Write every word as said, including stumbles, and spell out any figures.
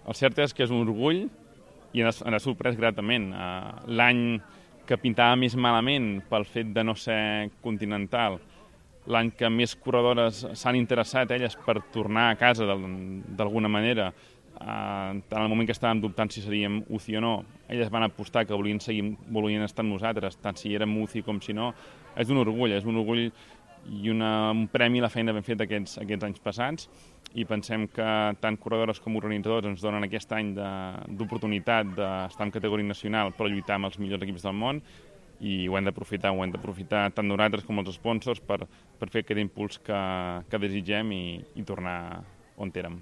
El cert és que és un orgull i ens ha sorprès gratament. L'any que pintava més malament pel fet de no ser continental, l'any que més corredores s'han interessat elles per tornar a casa d'alguna manera, en el moment que estàvem dubtant si seríem U C I o no, elles van apostar que volien seguir, volien estar amb nosaltres, tant si érem U C I com si no. És un orgull, és un orgull i una, un premi a la feina ben fet aquests, aquests anys passats, i pensem que tant corredores com organitzadors ens donen aquest any d'oportunitat de, d'estar en categoria nacional per lluitar amb els millors equips del món, i ho hem d'aprofitar, ho hem d'aprofitar tant nosaltres com els sponsors per, per fer aquest impuls que, que desitgem i, i tornar on érem.